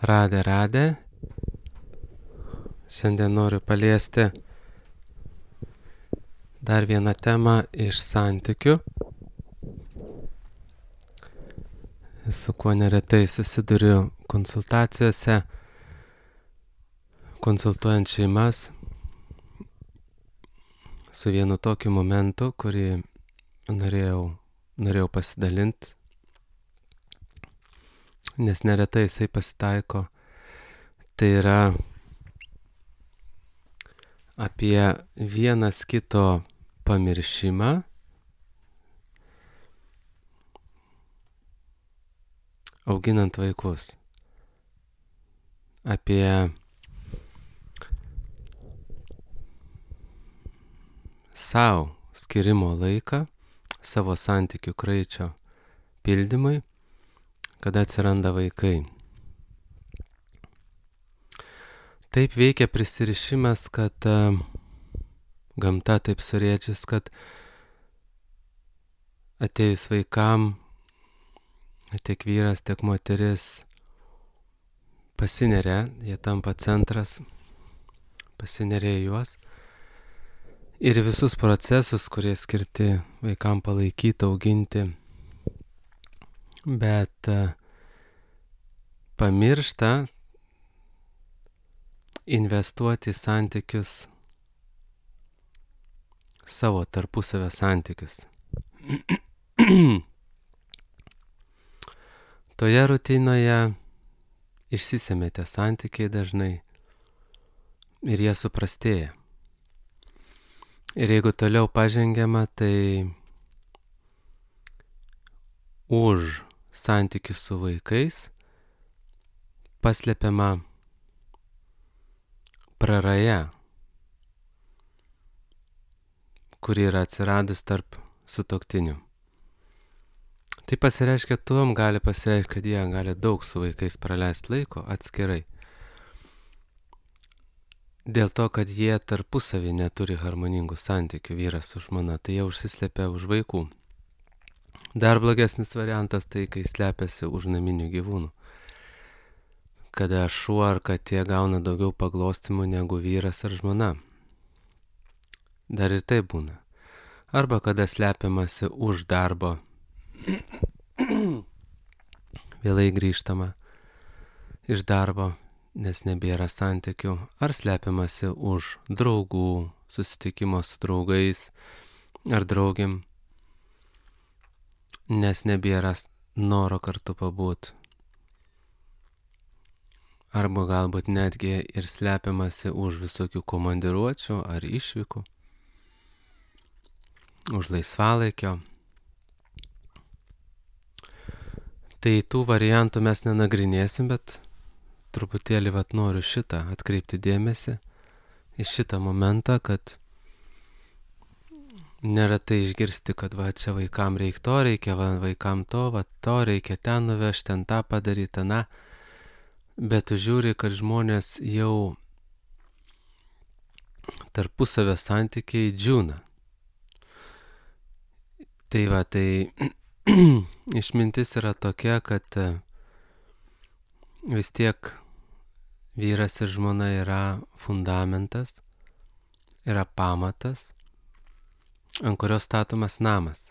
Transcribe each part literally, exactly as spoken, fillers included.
Radė, radė. Šiandien noriu paliesti dar vieną temą iš santykių, su kuo neretai susiduriu konsultacijose, konsultuojant šeimas, su vienu tokiu momentu, kurį norėjau, norėjau pasidalinti, nes neretai jisai pasitaiko. Tai yra apie vienas kito pamiršimą, auginant vaikus. Apie savo skirimo laiką, savo santykių kraičio pildymui, kada atsiranda vaikai. Taip veikia prisirišimas, kad uh, gamta taip surėdžius, kad atėjus vaikam, tiek vyras, tiek moteris pasineria, jie tampa centras, pasineria į juos. Ir visus procesus, kurie skirti vaikam palaikyti, auginti, bet uh, pamiršta investuoti į santykius, savo tarpusavio santykius. Toje rutinoje išsisemia tie santykiai dažnai ir jie suprastėja. Ir jeigu toliau pažengiama, tai už santykių su vaikais paslepiama praraja, kuri yra atsiradus tarp sutuoktinių. Tai pasireiškia tuom, gali pasireikšti, kad jie gali daug su vaikais praleisti laiko atskirai. Dėl to, kad jie tarpusavį neturi harmoningų santykių, vyras su žmona, tai jie užsislepia už vaikų. Dar blogesnis variantas tai, kai slepiasi už naminių gyvūnų. Kada šuo ar katė gauna daugiau paglostymų negu vyras ar žmona. Dar ir tai būna. Arba kada slepiamasi už darbo, vėlai grįžtama iš darbo, nes nebėra santykių, ar slepiamasi už draugų, susitikimo su draugais ar draugiam, nes nebėra noro kartu pabūt. Arba galbūt netgi ir slepiamasi už visokių komandiruočių ar išvykų, už laisvalaikio. Tai tų variantų mes nenagrinėsim, bet truputėlį vat noriu šitą atkreipti dėmesį į šitą momentą, kad neretai išgirsti, kad va čia vaikam reikia to, reikia va, vaikam to, va to, reikia ten nuvežti, ten tą padaryti, na. Bet tu žiūri, kad žmonės jau tarpusavio santykiai džiūna. Tai va, tai išmintis yra tokia, kad vis tiek vyras ir žmona yra fundamentas, yra pamatas, ant kurio statomas namas.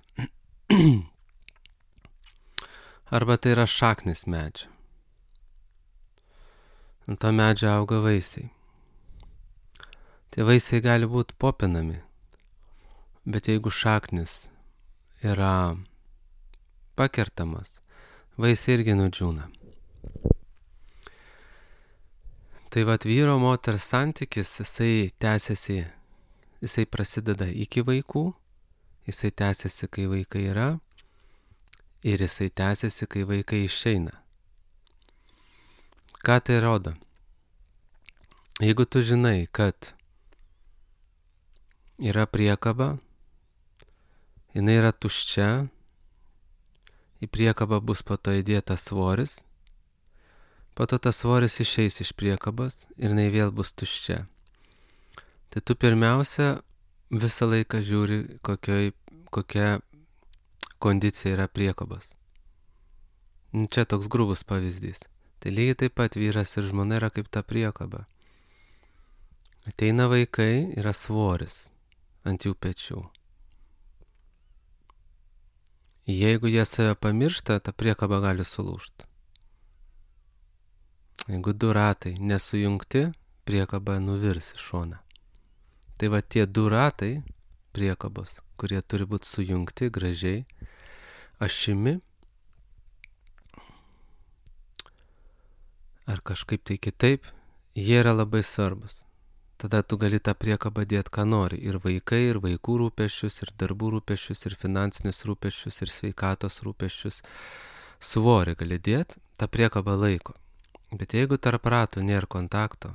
Arba tai yra šaknis medžio. Ant to medžio auga vaisiai. Tie vaisiai gali būti popinami, bet jeigu šaknis yra pakertamas, vaisiai irgi nudžiūna. Tai vat vyro moters santykis, jisai tęsiasi, jisai prasideda iki vaikų, jisai tęsiasi, kai vaikai yra, ir jisai tęsiasi, kai vaikai išeina. Ką tai rodo? Jeigu tu žinai, kad yra priekaba, jinai yra tuščia, į priekabą bus po to įdėtas svoris, po to tas svoris išeis iš priekabos ir jinai vėl bus tuščia. Tai tu pirmiausia visą laiką žiūri, kokioj, kokia kondicija yra priekabos. Čia toks grubus pavyzdys. Tai lygiai taip pat vyras ir žmona yra kaip ta priekaba. Ateina vaikai, yra svoris ant jų pečių. Jeigu jie save pamiršta, ta priekaba gali sulūžti. Jeigu du ratai nesujungti, priekaba nuvirs į šoną. Tai va tie du ratai priekabos, kurie turi būti sujungti gražiai, ašimi, ar kažkaip tai kitaip, jie yra labai svarbus. Tada tu gali tą priekabą dėti, ką nori. Ir vaikai, ir vaikų rūpesčius, ir darbų rūpesčius, ir finansinius rūpesčius, ir sveikatos rūpesčius. Svorį gali dėti, tą priekabą laiko. Bet jeigu tarp ratų nėra kontakto,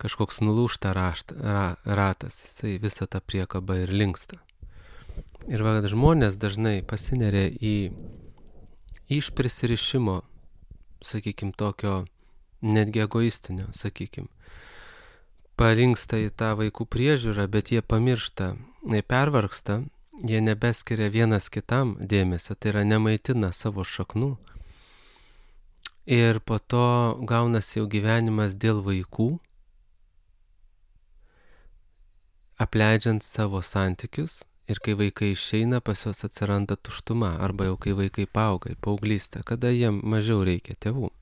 kažkoks nulūžta rašta, ra, ratas, jisai visą tą priekabą ir linksta. Ir va, žmonės dažnai pasineria į iš prisirišimo, sakykim, tokio netgi egoistinio, sakykim. Parinksta į tą vaikų priežiūrą, bet jie pamiršta, jie pervargsta, jie nebeskiria vienas kitam dėmesio, tai yra nemaitina savo šaknų. Ir po to gaunasi jau gyvenimas dėl vaikų, apleidžiant savo santykius. Ir kai vaikai išeina, pas juos atsiranda tuštuma, arba jau kai vaikai paauga į paauglystę, kada jiem mažiau reikia tėvų.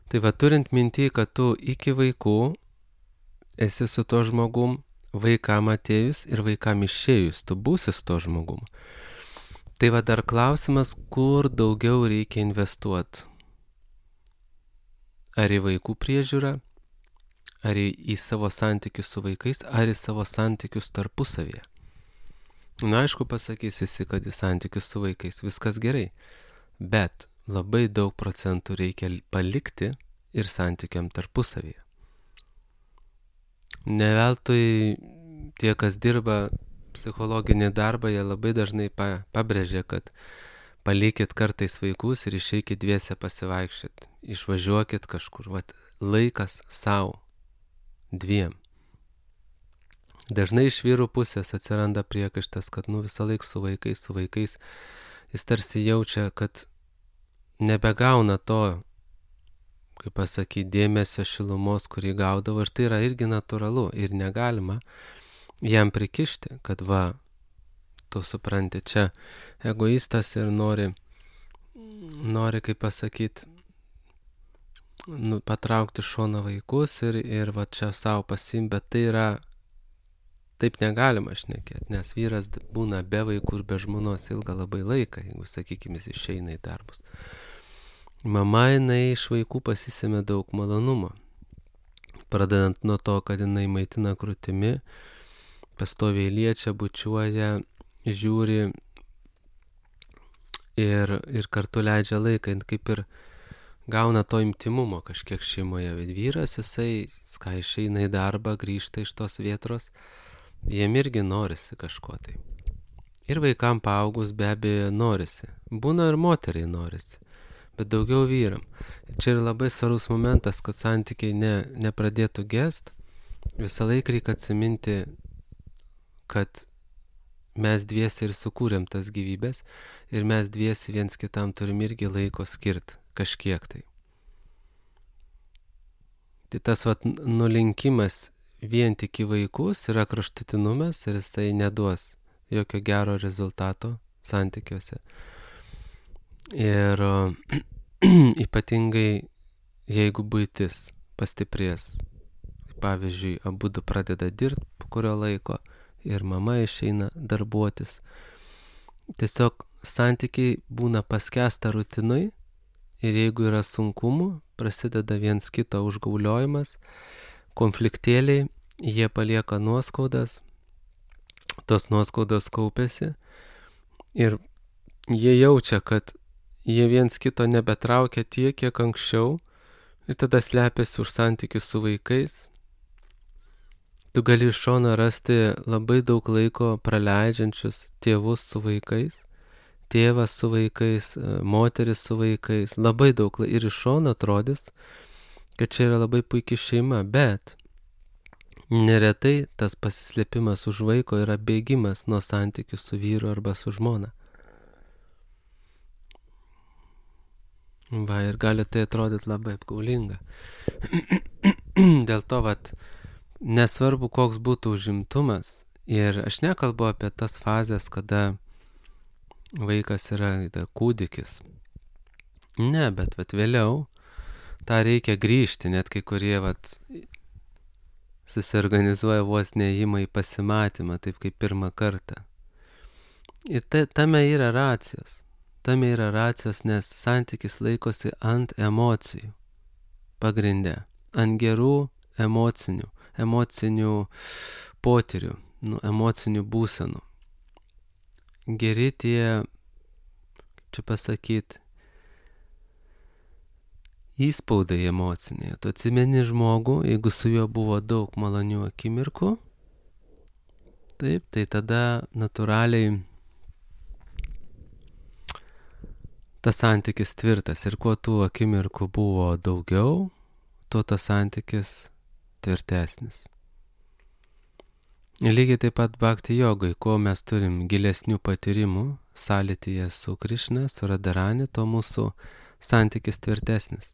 Tai va, turint mintį, kad tu iki vaikų esi su to žmogum, vaikam atėjus ir vaikam išėjus, tu būsi su to žmogum. Tai va, dar klausimas, kur daugiau reikia investuoti. Ar į vaikų priežiūrą, ar į, į savo santykius su vaikais, ar į savo santykius tarpusavyje. Na, aišku, pasakys visi, kad į santykius su vaikais viskas gerai, bet labai daug procentų reikia palikti ir santykiam tarpusavyje. Ne veltui tie, kas dirba psichologinį darbą, jie labai dažnai pa, pabrėžia, kad palikit kartais vaikus ir išeikit dviese pasivaikščioti, išvažiuokit kažkur, vat, laikas savo. Dviem. Dažnai iš vyrų pusės atsiranda priekaištas, kad nu visą laiką su vaikais, su vaikais jis tarsi jaučia, kad nebegauna to, kaip pasakyti, dėmesio šilumos, kurį gaudavo, ir tai yra irgi natūralu ir negalima jam prikišti, kad va, tu supranti, čia egoistas ir nori, nori kaip pasakyti, nu, patraukti šoną vaikus ir, ir va čia savo pasim, bet tai yra, taip negalima šnekėti, nes vyras būna be vaikų ir be žmonos ilgą labai laiką, jeigu, sakykime, jis išeina į darbus. Mama, jinai iš vaikų pasisėmė daug malonumo, pradedant nuo to, kad jinai maitina krūtimi, pastoviai liečia, bučiuoja, žiūri ir, ir kartu leidžia laiką, kaip ir gauna to intimumo kažkiek šeimoje. Vyras, jisai, kai išeina į darbą, grįžta iš tos vietos, jiem irgi norisi kažko tai. Ir vaikam paaugus be abejo norisi. Būna ir moteriai norisi, bet daugiau vyram. Ir čia yra labai svarbus momentas, kad santykiai ne, nepradėtų gest. Visą laiką reikia atsiminti, kad mes dviesi ir sukūrėm tas gyvybės ir mes dviesi viens kitam turim irgi laiko skirti. Kažkiek tai. Tai tas vat, nulinkimas vien tik į vaikus yra kraštutinumas ir jisai neduos jokio gero rezultato santykiuose. Ir ypatingai jeigu buitis pastiprės, pavyzdžiui, abudu pradeda dirbti po kurio laiko ir mama išeina darbuotis, tiesiog santykiai būna paskęsta rutinai. Ir jeigu yra sunkumų, prasideda viens kito užgauliojimas, konfliktėliai, jie palieka nuoskaudas, tos nuoskaudos kaupėsi ir jie jaučia, kad jie viens kito nebetraukia tiek, kiek anksčiau ir tada slepiasi už santykius su vaikais. Tu gali iš šono rasti labai daug laiko praleidžiančius tėvus su vaikais. Tėvas su vaikais, moteris su vaikais, labai daug ir iš šono atrodys, kad čia yra labai puikia šeima, bet neretai tas pasislėpimas už vaiko yra bėgimas nuo santykių su vyru arba su žmona. Va, ir gali tai atrodyti labai apgaulinga. Dėl to, vat, nesvarbu, koks būtų užimtumas, ir aš nekalbu apie tas fazės, kada vaikas yra da, kūdikis. Ne, bet vat, vėliau tą reikia grįžti, net kai kurie vat, susiorganizuoja vos neėjimą į pasimatymą, taip kaip pirmą kartą. Ir tai, tame yra racijos. Tame yra racijos, nes santykis laikosi ant emocijų pagrinde, ant gerų emocinių, emocinių potyrių, nu, emocinių būsenų. Geri tie, čia pasakyti, įspaudai emociniai. Tu atsimeni žmogų, jeigu su juo buvo daug malonių akimirkų, taip, tai tada natūraliai tas santykis tvirtas. Ir kuo tų akimirkų buvo daugiau, tuo tas santykis tvirtesnis. Ir lygiai taip pat bhakti jogai, kuo mes turim gilesnių patyrimų sąlytyje su Krišna, su Radharani, tuo mūsų santykis tvirtesnis.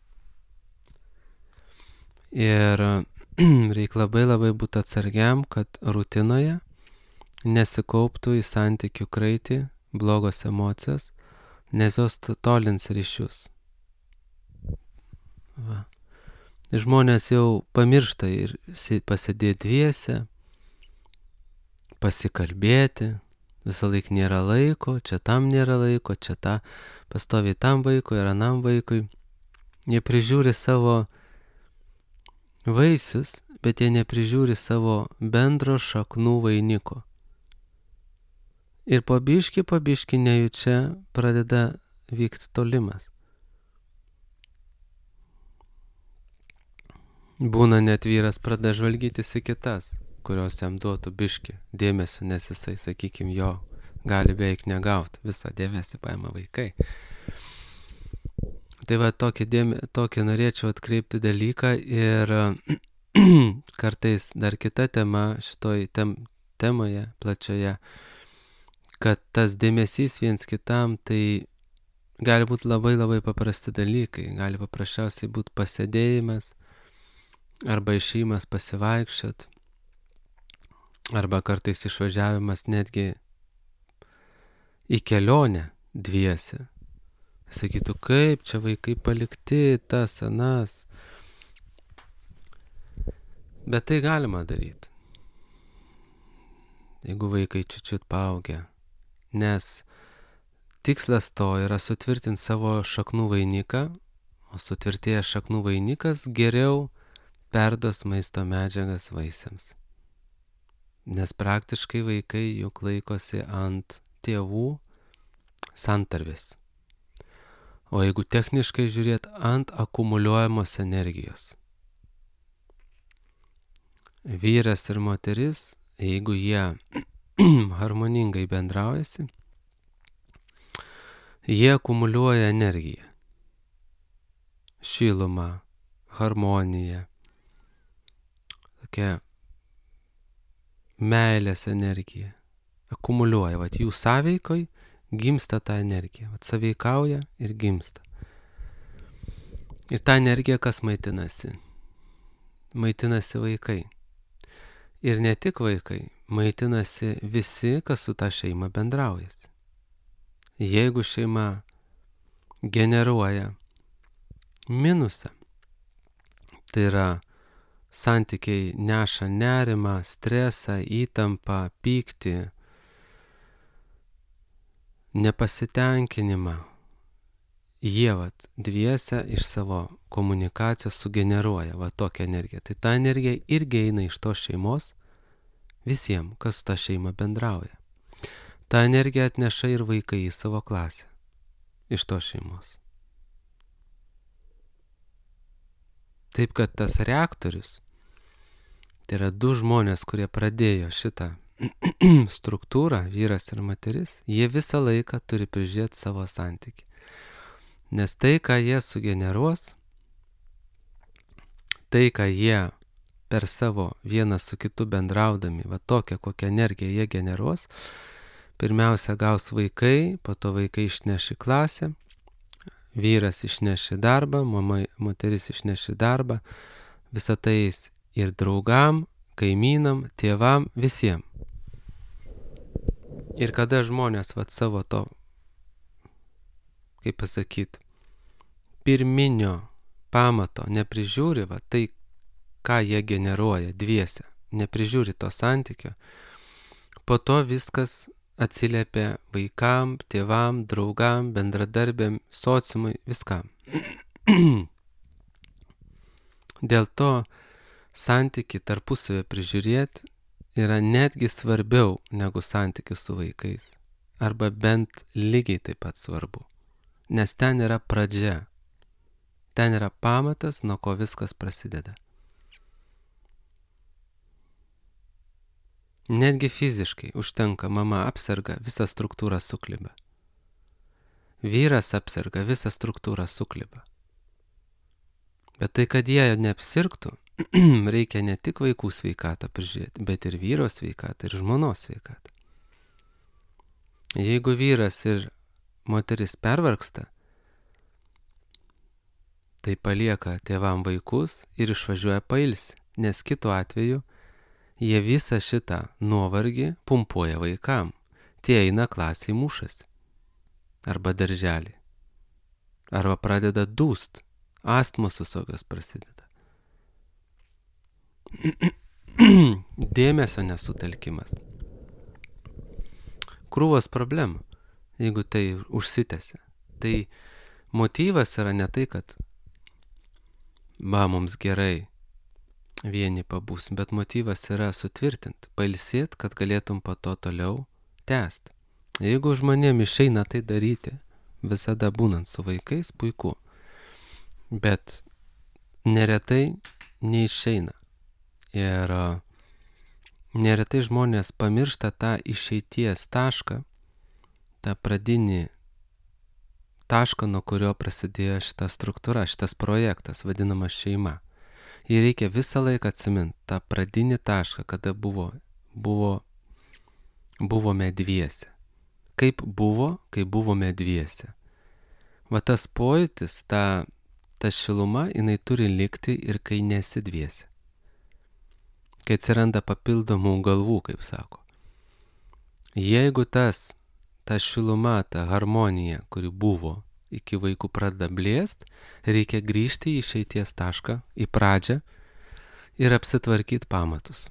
Ir reikia labai labai būti atsargiam, kad rutinoje nesikauptų į santykių kraitį blogos emocijos, nes jos tolins ryšius. Va. Žmonės jau pamiršta ir pasidėti dviese, pasikalbėti, visą laiką nėra laiko, čia tam nėra laiko, čia ta pastoviai tam vaikui ir anam vaikui. Jie prižiūri savo vaisius, bet jie neprižiūri savo bendro šaknų vainiko. Ir po biškį, po biškį nejučia pradeda vykti tolimas. Būna net vyras pradeda žvalgytis į kitas, kurios jam duotų biškį dėmesio, nes jisai, sakykim, jo gali beveik negauti, visą dėmesį paima vaikai. Tai va, tokį, dėme, tokį norėčiau atkreipti dalyką ir kartais dar kita tema šitoj tem, temoje plačioje, kad tas dėmesys viens kitam, tai gali būti labai labai paprasti dalykai, gali paprasčiausiai būti pasėdėjimas, arba išėjimas pasivaikščiot, arba kartais išvažiavimas netgi į kelionę dviese. Sakytų, kaip čia vaikai palikti, tas, anas. Bet tai galima daryti, jeigu vaikai čiučiut paaugę. Nes tikslas to yra sutvirtinti savo šaknų vainiką, o sutvirtėjęs šaknų vainikas geriau perduos maisto medžiagas vaisiams. Nes praktiškai vaikai juk laikosi ant tėvų santarvės. O jeigu techniškai žiūrėt, ant akumuliuojamos energijos. Vyras ir moteris, jeigu jie harmoningai bendraujasi, jie akumuliuoja energiją. Šilumą, harmoniją, tokia meilės energija. Akumuliuoja, vat jų sąveikoj gimsta ta energija. Vat sąveikauja ir gimsta. Ir ta energija kas maitinasi? Maitinasi vaikai. Ir ne tik vaikai, maitinasi visi, kas su ta šeima bendraujasi. Jeigu šeima generuoja minusą, tai yra santykiai neša nerimą, stresą, įtampą, pyktį, nepasitenkinimą, jie vat dviese iš savo komunikacijos sugeneruoja va tokią energiją. Tai ta energija irgi eina iš tos šeimos visiems, kas su ta šeima bendrauja. Ta energija atneša ir vaikai į savo klasę iš tos šeimos. Taip kad tas reaktorius, tai yra du žmonės, kurie pradėjo šitą struktūrą, vyras ir moteris, jie visą laiką turi prižiūrėti savo santykį. Nes tai, ką jie sugeneruos, tai, ką jie per savo vieną su kitu bendraudami, va tokią, kokią energiją jie generuos, pirmiausia gaus vaikai, po to vaikai išneš į klasę, vyras išneš į darbą, mama, moteris išneš į darbą, visą tai ir draugam, kaimynam, tėvam, visiems. Ir kada žmonės vat savo to, kaip pasakyti, pirminio pamato neprižiūri, va, tai, ką jie generuoja dviese, neprižiūri to santykio, po to viskas atsiliepia vaikam, tėvam, draugam, bendradarbiam, sociumui, viskam. Dėl to santykį tarpusavę prižiūrėti yra netgi svarbiau negu santykis su vaikais. Arba bent lygiai taip pat svarbu. Nes ten yra pradžia. Ten yra pamatas, nuo ko viskas prasideda. Netgi fiziškai užtenka, mama apserga, visa struktūra sukliba. Vyras apserga, visa struktūra sukliba. Bet tai, kad jie neapsirgtų, reikia ne tik vaikų sveikatą prižiūrėti, bet ir vyro sveikatą, ir žmonos sveikatą. Jeigu vyras ir moteris pervargsta, tai palieka tėvam vaikus ir išvažiuoja pailsi, nes kitu atveju jie visą šitą nuovargį pumpuoja vaikam. Tie eina klasiai mušasi. Arba darželį. Arba pradeda dūst. Astmos visokios prasideda. Dėmesio nesutelkimas. Krūvos problema, jeigu tai užsitęsia. Tai motyvas yra ne tai, kad va, mums gerai vieni pabūsim, bet motyvas yra sutvirtinti, pailsėti, kad galėtum po to toliau tęsti. Jeigu žmonėm išeina tai daryti, visada būnant su vaikais, puiku. Bet neretai neišeina. Ir neretai žmonės pamiršta tą išeities tašką, tą pradinį tašką, nuo kurio prasidėjo šita struktūra, šitas projektas, vadinamas šeima. Ir reikia visą laiką atsiminti tą pradinį tašką, kada buvo, buvo, buvome dviese. Kaip buvo, kai buvome dviese. Va tas pojūtis, ta, ta šiluma, jinai turi likti ir kai nesi dviese. Kai atsiranda papildomų galvų, kaip sako. Jeigu tas, ta šiluma, ta harmonija, kuri buvo, iki vaikų pradeda blėst, reikia grįžti į išeities tašką, į pradžią ir apsitvarkyti pamatus.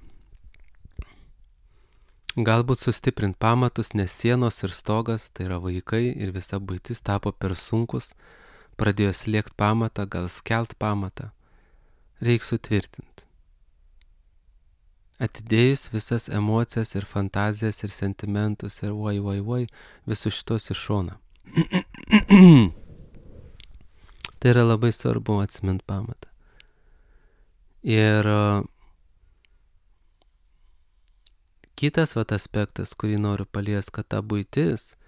Galbūt sustiprinti pamatus, nes sienos ir stogas, tai yra vaikai ir visa buitis tapo per sunkus, pradėjo slėgti pamatą, gal skelt pamatą. Reik sutvirtinti. Atidėjus visas emocijas ir fantazijas ir sentimentus ir oi, oi, oi, visus šitos iš šoną. Tai yra labai svarbu atsimint pamatą. Ir kitas vat aspektas, kurį noriu paliesti, kad ta buitis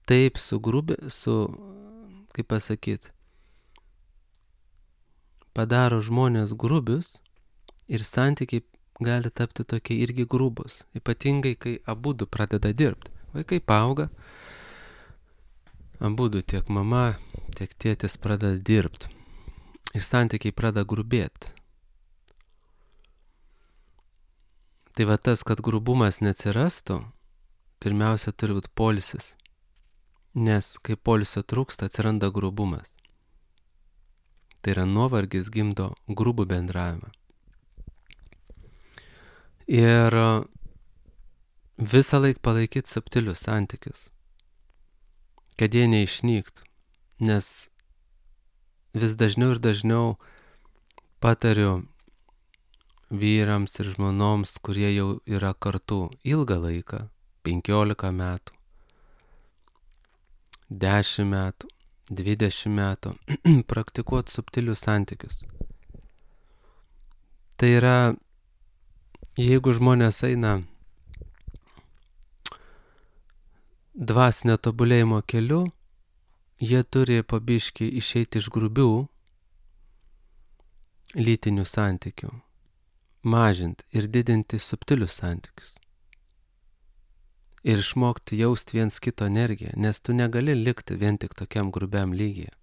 taip sugrubė, su, kaip pasakyti, padaro žmonės grubius ir santykiai gali tapti tokie irgi grubus. Ypatingai, kai abudu pradeda dirbti. Vaikai paauga, abudu tiek mama, tiek tėtis pradeda dirbti. Ir santykiai pradeda grubėti. Tai va tas, kad grubumas neatsirastų, pirmiausia turi būti poilsis. Nes kai poilsio trūksta, atsiranda grubumas. Tai yra nuovargis gimdo grubų bendravimą. Ir visą laiką palaikyti subtilius santykius, kad jie neišnyktų. Nes vis dažniau ir dažniau patariu vyrams ir žmonoms, kurie jau yra kartu ilgą laiką, penkiolika metų, dešimt metų, dvidešimt metų, praktikuoti subtilius santykius. Tai yra, jeigu žmonės eina dvasinio tobulėjimo keliu, jie turi po biškį išeiti iš grubių lytinių santykių, mažinti ir didinti subtilius santykius. Ir išmokti jausti viens kito energiją, nes tu negali likti vien tik tokiam grubiam lygyje.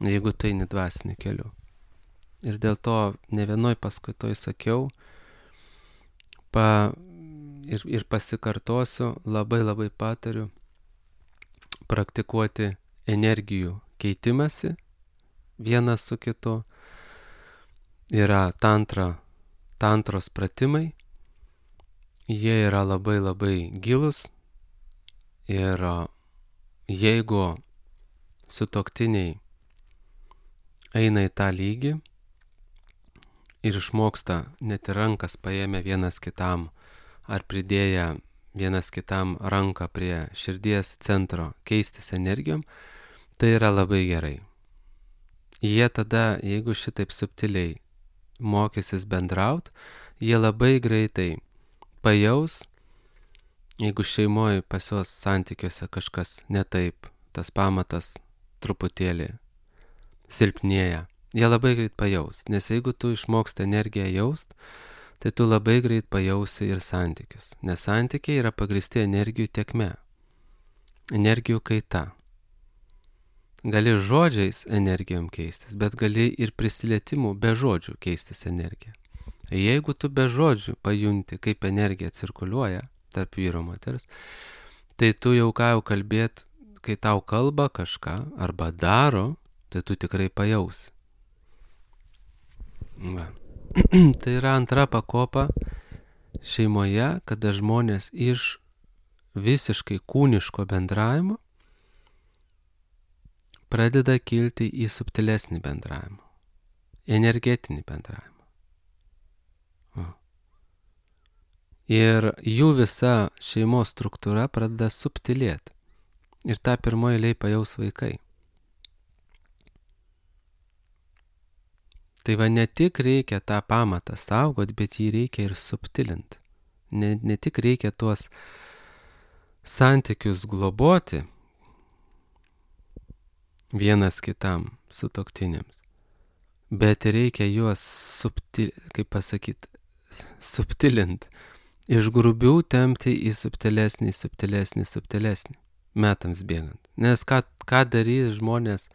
jeigu tai nedvasiniu keliu. Ir dėl to ne vienoj paskaitoj sakiau, pa, ir, ir pasikartosiu, labai labai patariu praktikuoti energijų keitimąsi vienas su kitu. Yra tantra, tantros pratimai, jie yra labai labai gilus ir jeigu sutuoktiniai eina į tą lygį ir išmoksta net ir rankas paėmę vienas kitam ar pridėję vienas kitam ranką prie širdies centro keistis energijom, tai yra labai gerai. Jie tada, jeigu šitaip subtiliai mokysis bendraut, jie labai greitai pajaus, jeigu šeimoje pas juos santykiuose kažkas ne taip, tas pamatas truputėlį silpnėja. Jie labai greit pajaus, nes jeigu tu išmoksti energiją jaust, tai tu labai greit pajausi ir santykius, nes santykiai yra pagristi energijų tėkme, energijų kaita. Gali žodžiais energijom keistis, bet gali ir prisilietimu be žodžių keistis energiją. Jeigu tu be žodžių pajunti, kaip energija cirkuliuoja tarp vyro moters, tai tu jau ką jau kalbėt, kai tau kalba kažką arba daro, tai tu tikrai pajausi. Va. Tai yra antra pakopa šeimoje, kada žmonės iš visiškai kūniško bendravimo pradeda kilti į subtilesnį bendravimą, energetinį bendravimą. O. Ir jų visa šeimos struktūra pradeda subtilėti. Ir tą pirmoji eilėj pajaus vaikai. Tai va ne tik reikia tą pamatą saugot, bet jį reikia ir subtilinti. Ne, ne tik reikia tuos santykius globoti, vienas kitam sutuoktiniams, bet reikia juos subtil, kaip pasakyt, subtilint, iš grubių tempti į subtilesnį, subtilesnį, subtilesnį, metams bėgant. Nes ką, ką darys žmonės,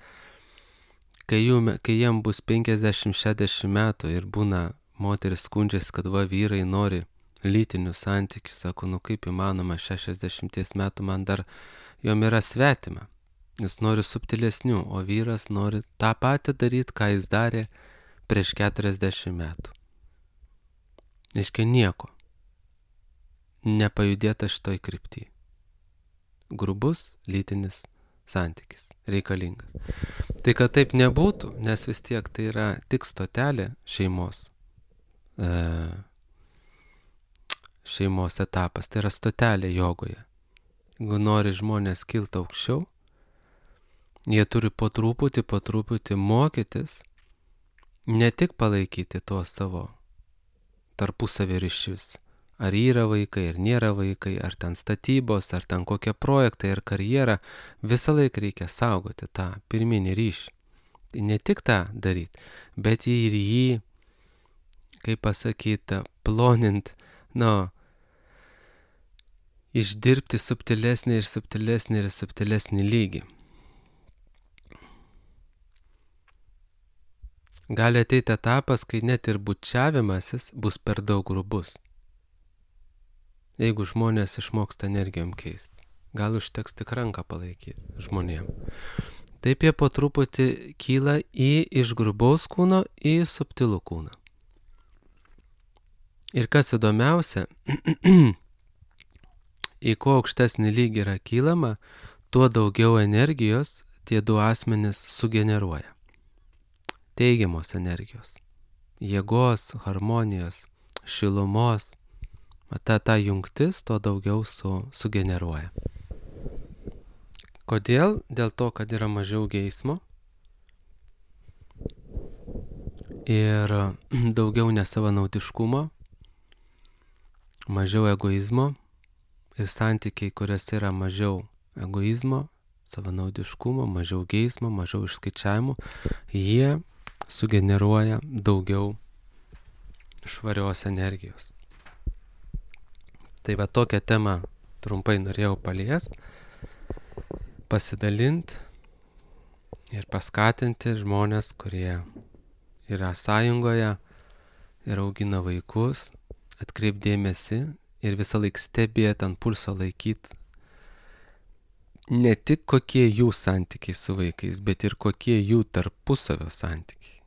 kai, jų, kai jiem bus penkiasdešimt šešiasdešimt metų ir būna moteris skundžiasi, kad va vyrai nori lytinių santykių, sako, nu kaip įmanoma, šešiasdešimties metų man dar jom yra svetima. Jis nori subtilesnių, o vyras nori tą patį daryti, ką jis darė prieš keturiasdešimt metų. Reiškia nieko. Nepajudėta šitoj krypty. Grubus lytinis santykis reikalingas. Tai kad taip nebūtų, nes vis tiek tai yra tik stotelė šeimos, e, šeimos etapas, tai yra stotelė jogoje. Jeigu nori žmonės kilti aukščiau, jie turi po truputį, po truputį mokytis, ne tik palaikyti tuos savo tarpusavio ryšius. Ar yra vaikai, ar nėra vaikai, ar ten statybos, ar ten kokie projektai, ar karjera, visą laiką reikia saugoti tą pirminį ryšį. Tai ne tik tą daryti, bet ir jį, kaip pasakyti, plonint, nu, išdirbti subtilesnį ir subtilesnį ir subtilesnį lygį. Gali ateiti etapas, kai net ir bučiavimasis bus per daug grubus. Jeigu žmonės išmoksta energijom keisti, gal užteks tik ranką palaikyti žmonėm. Taip jie po truputį kyla į iš grubaus kūno į subtilų kūną. Ir kas įdomiausia, į kuo aukštesnį lygį yra kylama, tuo daugiau energijos tie du asmenys sugeneruoja. Teigiamos energijos, jėgos, harmonijos, šilumos, ta, ta jungtis to daugiau su, sugeneruoja. Kodėl? Dėl to, kad yra mažiau geismo ir daugiau nesavanaudiškumo, mažiau egoizmo ir santykiai, kuriuose yra mažiau egoizmo, savanaudiškumo, mažiau geismo, mažiau išskaičiavimų, jie sugeneruoja daugiau švarios energijos. Tai va tokią temą trumpai norėjau paliest, pasidalint, ir paskatinti žmonės, kurie yra sąjungoje ir augina vaikus, atkreipdėmėsi ir visą laiką stebėti, ant pulso laikyti ne tik kokie jų santykiai su vaikais, bet ir kokie jų tarpusavio santykiai.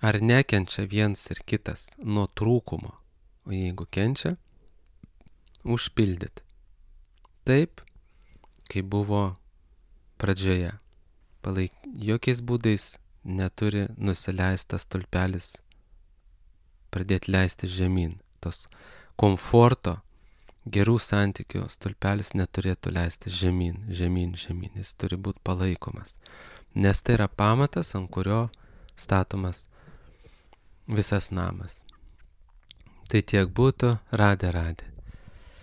Ar nekenčia viens ir kitas nuo trūkumo, o jeigu kenčia, užpildyti. Taip, kaip buvo pradžioje. Palaik, jokiais būdais neturi nusileistas stulpelis pradėti leisti žemyn. Tos komforto, gerų santykių stulpelis neturėtų leisti žemyn, žemyn, žemyn. Jis turi būti palaikomas. Nes tai yra pamatas, ant kurio statomas visas namas. Tai tiek būtų, radė, radė.